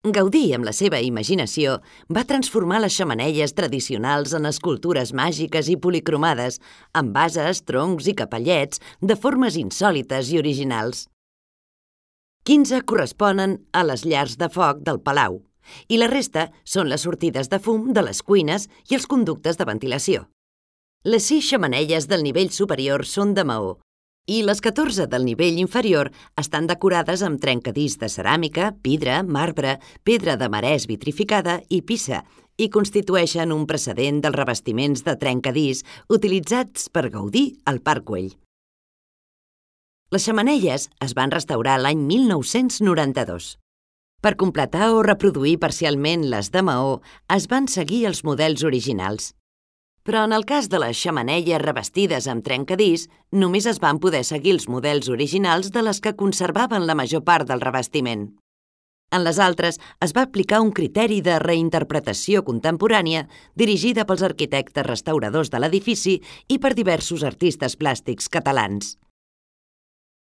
Gaudí, amb la seva imaginació, va transformar les xemeneies tradicionals en escultures màgiques i policromades, amb bases, troncs i capellets de formes insòlites i originals. 15 corresponen a les llars de foc del palau i la resta són les sortides de fum de les cuines i els conductes de ventilació. Les 6 xemeneies del nivell superior són de maó i les 14 del nivell inferior estan decorades amb trencadís de ceràmica, vidre, marbre, pedra de marès vitrificada i pissa i constitueixen un precedent dels revestiments de trencadís utilitzats per Gaudí al Parc Güell. Les xemeneies es van restaurar l'any 1992. Per completar o reproduir parcialment les de maó, es van seguir els models originals. Però en el cas de les xemeneies revestides amb trencadís, només es van poder seguir els models originals de les que conservaven la major part del revestiment. En les altres es va aplicar un criteri de reinterpretació contemporània dirigida pels arquitectes restauradors de l'edifici i per diversos artistes plàstics catalans.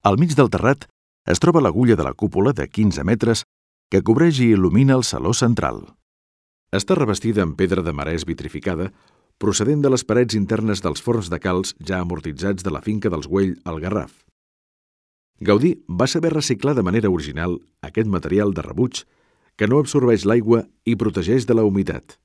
Al mig del terrat es troba l'agulla de la cúpula de 15 metres que cobreix i il·lumina el saló central. Està revestida amb pedra de marès vitrificada, procedent de les parets internes dels forns de calç ja amortitzats de la finca dels Güell al Garraf. Gaudí va saber reciclar de manera original aquest material de rebuig que no absorbeix l'aigua i protegeix de la humitat.